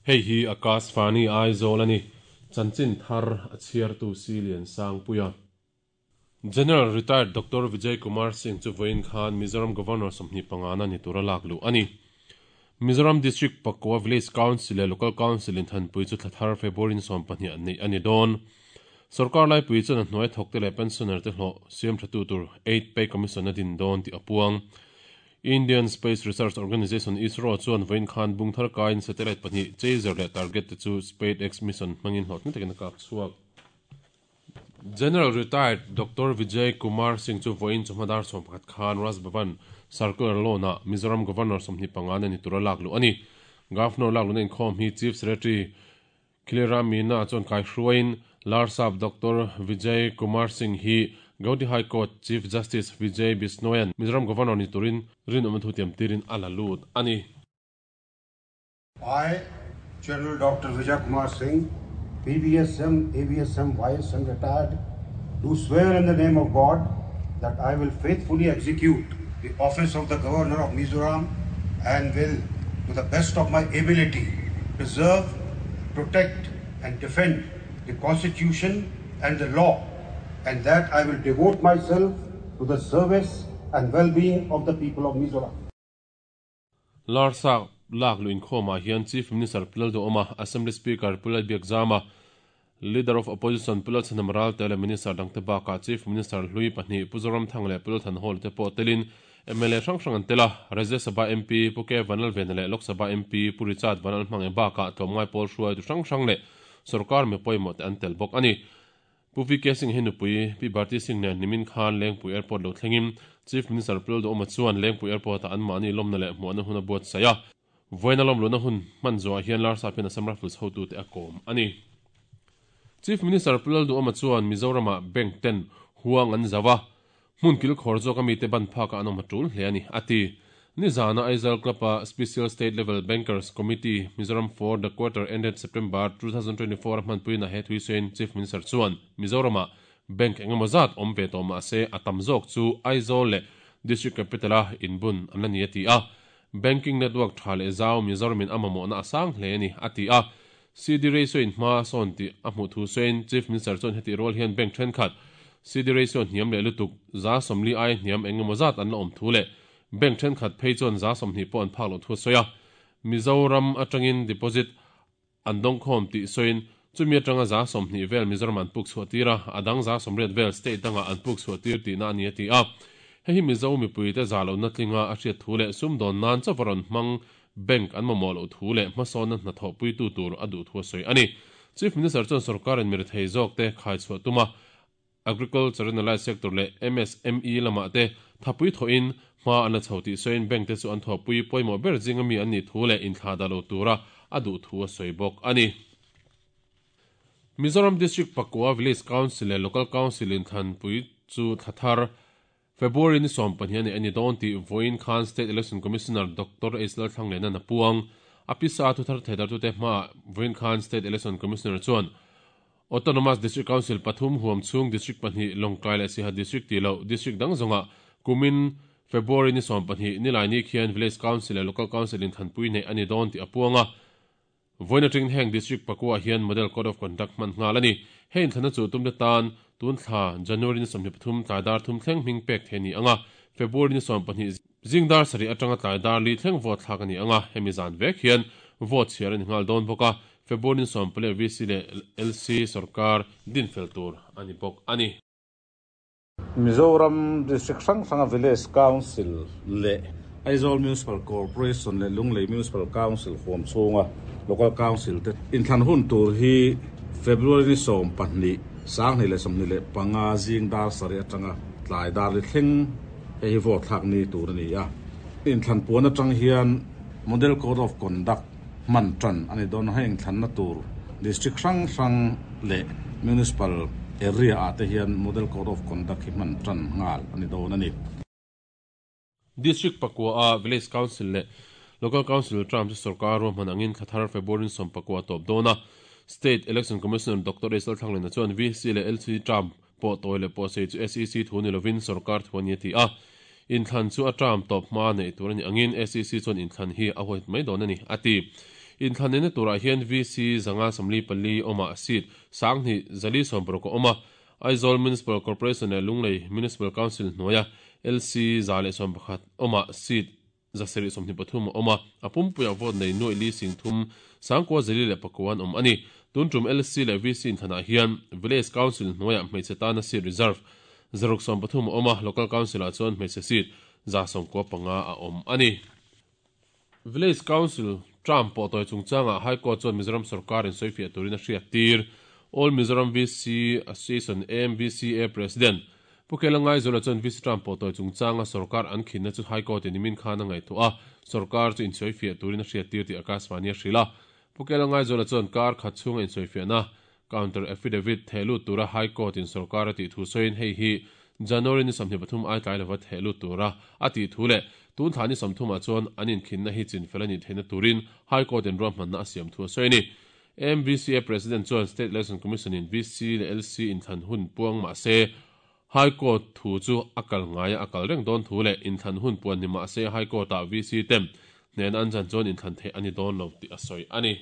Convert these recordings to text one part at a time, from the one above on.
Hei hi Akashvani Aizawl a ni. Chanchin thar a chhiartu Si Liansangpuia. General Retired Doctor Vijay Kumar Singh chu vawiin khan Mizoram Governor 25 na ni tura lak luh a ni. Mizoram District Pakua Village Council leh Local Council in thanpui chu thla thar February ni 20 an neih a ni dawn. Sorkar laipui chuan a hnuai thawkte leh pensioner te hlawh siam thatu tur Eight Pay Commission a din dawn tih a puang. Indian Space Research Organisation, ISRO, chuan vawiin khan bung thar kaiin satellite pahnih Chaser leh Target te chu SpaceX mission hmangin hlawhtling takin a kap chhuak. General Retired Doctor Vijay Kumar Singh chu vawiin chawhma dar 11 khan Raj Bhavan Circular Lawn-ah Mizoram Governor 25 na ni tura lak luh a ni. Governor lak luhna inkhawm hi Chief Secretary Khilera Meena chuan kaihruaiin Larsap Doctor Vijay Kumar Singh hi Gauhati High Court Chief Justice Vijay Bishnoian Mizoram Governor ni turin rinawmna thu tiam tirin a la lut a ni. I, General Doctor Vijay Kumar Singh, PVSM, AVSM, YSM retired, do swear in the name of God that I will faithfully execute the office of the Governor of Mizoram and will, to the best of my ability, preserve, protect and defend the Constitution and the law, and that I will devote myself to the service and well-being of the people of Mizoram. Larsap lak luh inkhawmah hian Chief Minister Pu Lalduhawma, Assembly Speaker Pu Lalbiakzama, Leader of Opposition Pu Lalchhanham Ralte leh Minister dangte bakah Chief Minister hlui pahnih Pu Zoramthanga leh Pu Lalthanhawla te pawh telin mla hrang hrang an tel a, Rajya Sabha MP Pu K Vanlalvena leh Lok Sabha MP Pu Richard Vanlalhmange bakah tlawmngai pawl hruaitu hrang hrang leh sorkar mi pawimawh te an tel bawk a ni. Pu VK Singh hi nupui Pi Bharti Singh nen nimin khan Lengpui Airport lo thlengin Chief Minister Pu Lalduhawma chuan Lengpui Airport-ah anmahni lawmna leh hmuahna hun a buatsaih a. Vawiina lawmluhna hun hman zuah hian Larsap hian Assam Rifles hotute a kawm a ni. Chief Minister Pu Lalduhawma chuan Mizoramah bank ten huang an zauh a, hmun kilkhawr zawka mite ban phakah an awm a tul hle a ni, a ti. Nizana Aizawl Club-a Special State Level Bankers Committee, Mizoram for the quarter ended September 2024 a hmanpuina he thuisawiin Chief Minister chuan Mizoramah bank engemaw zat awm ve tawh mah se a tam zawk chu Aizawl leh District Capital-a inbun an la ni a ti a. Banking network tha leh zau Mizoramin a mamawhna a sang hle a ni, a ti a. CD ratio in hma a sawn tih a hmuh thu sawiin Chief Minister chuan heti rual hian bank thenkhat CD ratio hniam leh lutuk 40% aia hniam eng emaw zat an la awm thu leh bank thenkhat phei chuan 20% pawh an phak loh thu a sawi a. Mizoram atangin deposit an dawngkhawm tih sawiin chumi atanga 20% vel Mizoram an puk chhuah tir a, a dang 80% vel state dangah an puk chhuah tir tihna a ni a ti a. Hei hi Mizo mipuite za lohna tlinga a hriat thu leh sumdawn nan chauh a rawn hmang bank an mamawh loh thu leh hmasawnna hnathawhpuitu tur a duh thu a sawi a ni. Chief Minister chuan sorkarin mirethei zawkte khaichhuah tuma Agriculture and Allied Sector leh MSME lamah te thapui thawhin hma an la chho tih sawiin bank te chu an thawhpui pawimawh ber zinga mi an nih thu leh inthlah dah lo tura a duh thu a sawi bawk a ni. Mizoram District Pakua Village Council leh Local Council inthlanpui chu thla thar February ni 12 a ni a ni dawn tih vawiin khan State Election Commissioner Doctor H Lalthlanglena a puang. A pisa thuthar theidartute hmaah vawiin khan State Election Commissioner chuan Autonomous District Council pathum huam chhung District pahnih Lawngtlai leh Siaha District tih loh District dang zawngah kumin February ni 12 Nilaini khian Village Council leh Local Council inthanpui neih a ni dawn tih a puang a. Vawiin atangin heng District pakua hian Model Code of Conduct hman nghal a ni. Hei inthlana chu tumte tan tun thla January ni 23 tlai dar thum thleng hming pek thei a ni ang a, February ni 12 zing dar sarih atanga tlai dar li thleng vote thlak a ni ang a, hemi zan vek hian vote chhiar a ni nghal dawn bawk a, February ni 14 VC leh LC sorkar dinfel tur a ni bawk a ni. Mizoram District hrang hranga Village Council leh Aizawl Municipal Corporation leh Lunglei Municipal Council huam chhunga Local Council te inthlan hun tur hi February ni 12, 2025 zing dar sarih atanga tlai dar li thleng hei hi vote thlak ni tur a ni a. Inthlan puan atang hian Model Code of Conduct hman tan a ni dawn a, heng thlanna tur District hrang hrang leh Municipal area ah te hian Model Code of Conduct hi hman tan nghal a ni dawn a ni. District pakua a Village Council leh Local Council term chu sorkar ruahman angin thla thar February ni 19 a tawp dawn a, State Election Commissioner Doctor S Lalthlanglena chuan VC leh LC term pawh tawi leh pawh sei chu SEC thu ni lovin sorkar thu a ni a ti a. Inthlan chu a term tawp hma neih tur a ni angin SEC chuan inthlan hi a huaihawt mai dawn a ni, a ti. Inthlan neihna turah hian VC 544 awmah seat 2460 a awm a, Aizawl Municipal Corporation leh Lunglei Municipal Council hnuaia LC 111 awmah seat 723 a awm a, a pumpuiah vote nei nuaih li sing thum 9404 an awm a ni. Tun tum LC leh VC inthlanah hian Village Council hnuaiah hmeichhe tana seat reserve 630 a awm a, Local Council-ah chuan hmeichhe seat 95 a awm a ni. Village Council term pawh tawi chungchangah High Court chuan Mizoram sorkarin sawifiah turin a hriat tir. All Mizoram VC Association, AMVCA, President Pu Kela Ngaizuala chuan VC term pawh tawi chungchanga sorkar an khinna chu High Court-in nimin khan a ngaihtuah a, sorkar chu insawifiah turin a hriat tir tih Akashvani a hrilh a. Pu Kela Ngaizuala chuan kar khat chhunga insawifiahna Counter affidavit theh lut tura High Court in sorkar a tih thu sawiin hei hi January ni 23 ai tlai lova theh lut tura a tih thu leh tun thla ni 30 ah chuan an inkhinna hi chinfel a nih theihna turin High Court in ruahmanna a siam thu a sawi a ni. MVCA President chuan State Election Commission in VC leh LC inthlan hun puang mah se High Court thu chu a kal ngaia a kal reng dawn thu leh inthlan hun puan ni mah se High Court ah VC ten hnehna an chan chuan inthlan theih a ni dawn lo tih a sawi a ni.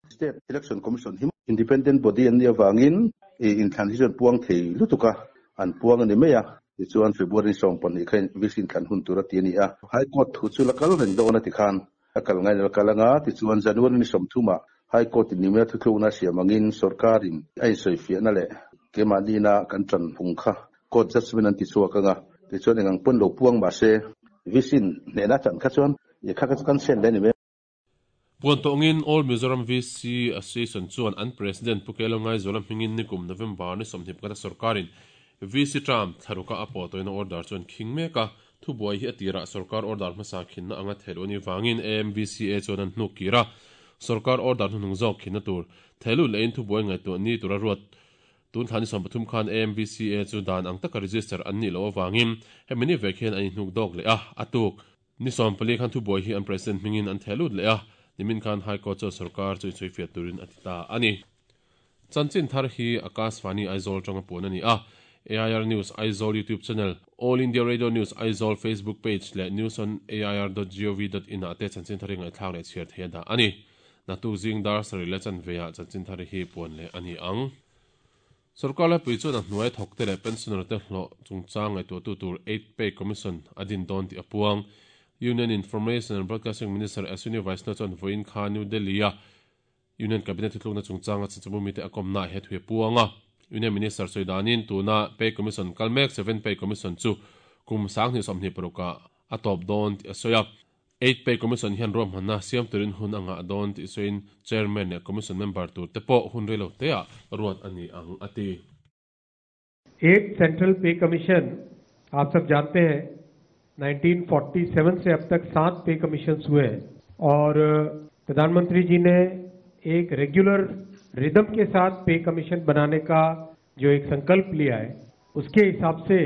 State Election Commission hi Independent Body an nih avangin inthlan hi chuan puang thei lutuk a, an puang a ni mai a. Tichuan February 12 kha VC inthlan hun tur a ti a ni a. High Court thu chu la kal reng dawn a ti khan a kal ngain a la kal anga, tichuan January ni 30 ah High Court in nimina thuthlukna a siam angin sorkarin a insawifiahna leh keimahniina kan tan phung kha Court Judgement an ti chhuak anga, tichuan engang pawn lo puang mahse VC in hnehna a chan kha chuan kha kha chu kan sen leh a ni mai. Puan tawngin All Mizoram VC Association chuan an President Pu Kelo Ngaizuala hmingin nikum November ni 21 a sorkarin VC term thlaruka a pawh tawina order chuan khing mek a, thubuai hi a tirah sorkar order hmasa khinna anga theih anih vangin AMVCA chuan an hnuk kir a, sorkar order hnuhnung zawk khinna tur theihlut lehin thubuai ngaihtuah ni tura ruat Tun thla ni 30 khan AMVCA chu dan ang taka register an nih loh avangin hemi ni vek hian an inhnuk dawk leh a, a tuk. Ni 14 khan thubuai hi an President hmingin an theh lut leh a, nimin khan High Court chuan sorkar chu insawifiah turin a ti ta a ni. Chanchin thar hi Akashvani Aizawl atanga puan a ni a, AIR News Aizawl YouTube channel, All India Radio News Aizawl Facebook page leh news on air dot gov dot in ah te chanchin thar hi ngaihthlak leh chhiar thei a dah a ni. Naktuk zing dar sarih leh chanve ah chanchin thar hi puan leh a ni ang. Sorkar laipui chuan a hnuai thawkte leh pensioner te hlawh chungchang ngaihtuahtu tur Eighth Pay Commission a din dawn tih a puang. Union Information and Broadcasting Minister Ashwini Vaishnaw chuan vawiin kha New Delhi-a Union Cabinet thutlukna chungchanga chanchinbu mite a kawmnaah he thu a puang a. Union Minister sawi danin tuna Pay Commission kal mek Seventh Pay Commission chu kum 2026 ah a tawp dawn tih a sawi a. Eighth Pay Commission hian ruahmanna siam turin hun a ngah dawn tih sawiin Chairman leh Commission member tur te pawh hun rei lo teah ruat a ni ang a ti. Eighth Central Pay Commission आप सब जानते हैं 1947 से अब तक सात पे कमीशंस हुए हैं और प्रधानमंत्री जी ने एक रेगुलर रिदम के साथ पे कमीशन बनाने का जो एक संकल्प लिया है उसके हिसाब से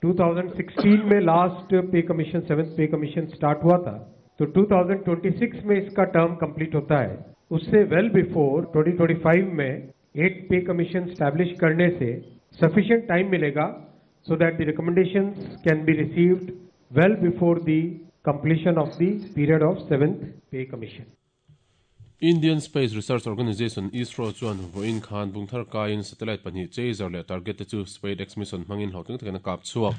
2016 में last pay commission seventh pay commission start हुआ था तो 2026 में इसका टर्म कंप्लीट होता है उससे वेल बिफोर 2025 में एट पे कमीशन स्टैब्लिश करने से सफिशिएंट टाइम मिलेगा so that the recommendations can be received well before the completion of the period of seventh pay commission. Indian Space Research Organisation, ISRO, chuan vawiin khan bungthar kaiin satellite pahnih Chaser leh Target te chu SpaceX mission hmangin hlawhtling takin a kap chhuak.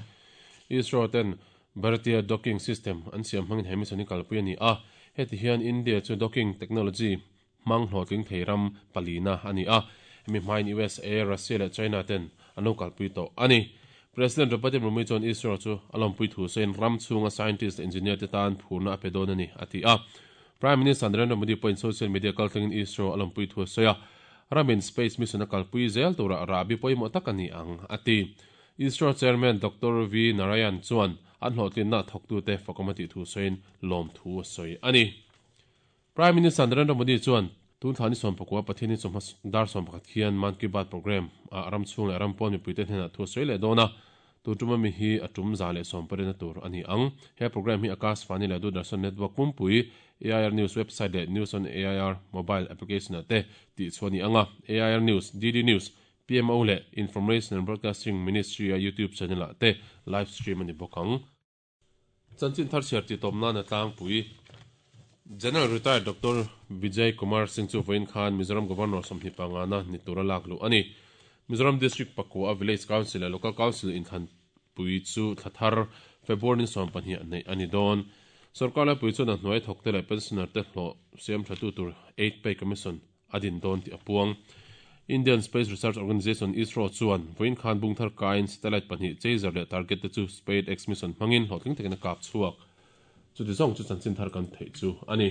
ISRO ten Bharatiya Docking System an siam hmangin he mission hi kalpui a ni a, heti hian India chu docking technology hmang hlawhtling thei ram palina a ni a, hemi hmain USA, Russia leh China ten an lo kalpui tawh a ni. President Draupadi Murmu chuan ISRO chu a lawmpui thu sawiin ram chhunga scientist leh engineer te tan phurna a pe dawn a ni, a ti a. Prime Minister Narendra Modi pawhin social media kaltlangin ISRO a lawmpui thu a sawi a, ramin space mission a kalpui zel turah rahbi pawimawh tak a ni ang, a ti. ISRO Chairman Doctor V Narayan chuan an hlawhtlinna thawktute fakawm a tih thu sawiin lawmthu a sawi a ni. Prime Minister Narendra Modi chuan tun thla ni 19 Pathian hi chawhma dar 11 khian Mann Ki Baat programme ah ram chhung leh ram pawn mipuite hnenah thu a sawi leh dawn a, tun tuma mi hi a tum 110 na tur a ni ang. He programme hi Akashvani leh Doordarshan network pumpui, AIR News website leh News on AIR mobile application ah te tih chhuah a ni ang a, AIR News, DD News, PMO leh Information and Broadcasting Ministry a YouTube channel ah te live stream a ni bawk ang. Chanchin thar chhiar tih tawp nan a tlangpui. General Retired Doctor Vijay Kumar Singh chu vawiin khan Mizoram Governor 25 na ni tura lak luh a ni. Mizoram District pakua a Village Council leh Local Council inthlanpui chu thla thar February ni 12 ah neih a ni dawn. Sorkar laipui chuan a hnuai thawkte leh pensioner te hlawh siam thatu tur Eighth Pay Commission a din dawn tih a puang. Indian Space Research Organisation, ISRO, chuan vawiin khan bung thar kaiin satellite pahnih Chaser leh Target te chu SpaceX mission hmangin hlawhtling takin a kap chhuak. Chuti zawng chu chanchin thar kan theih chu a ni.